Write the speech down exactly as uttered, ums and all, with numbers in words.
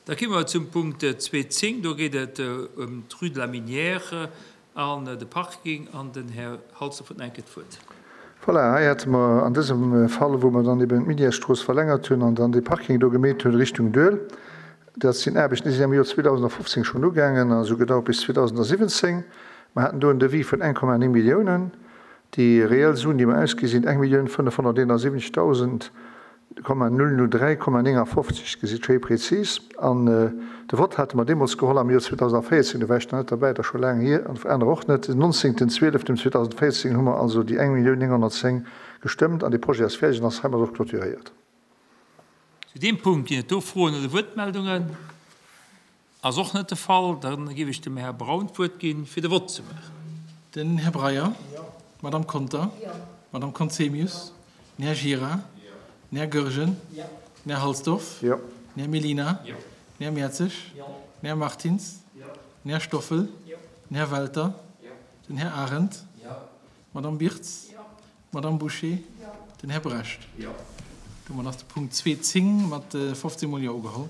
Da komme mer zum Punkt zwee zéng. Do geet et ëm d'Rue de la Minière an de Parking. An den Här Halsdorf huet nach eng Kéier d'Wuert. Voilà, hei hätte mer an dësem Fall, wou mer dann eben d'Minièresstrooss verlängert hunn an dann dee Parking do gemeet hunn Richtung Doihl, dat sinn Aarbechten, déi sinn am Joer zweedausendfofzéng schonn ugaangen a sou gedauert bis zweedausendsiwwenzéng. Mer haten do en Devis vun eng Komma néng Milliounen. Déi reell Suen, déi mer ausgi sinn eng Millioun fënnefhonnerteenasiwwenzegdausend Komma null null dräi Komma néngafofzeg, gesitt, schéi prezis. An de Vott hate mer deemools geholl am Joer zweedausendvéierzéng, do war ech nach net derbäi, dat ass scho laang hier, an aner och net. Den nonzéngten zwieleften zweedausendvéierzéng hu mer also déi eng Millioun nénghonnertzéng gestëmmt an dee Projet ass fäerdeg an ass heimat och clôturéiert. Zu deem Punkt ginn et do Froen oder Wuertmeldungen? Ass och net de Fall. Da géif ech dem Här Braun d'Wuert ginn, fir de Vott ze maachen. Den Här Breyer. D'Madame Conter. D'Madame Conzemius. Den Här Gira. Den Här Goergen. Den Här Halsdorf. Den Här Mellina. Den Här Mertzig. Den Här Martins. Den Här Stoffel. Den Här Welter. Den Här Arendt. D'Madame Birtz. D'Madame Bouché. Den Här Brecht. Domat ass de Punkt zwee zéng mat fofzéng Mol Jo ugeholl.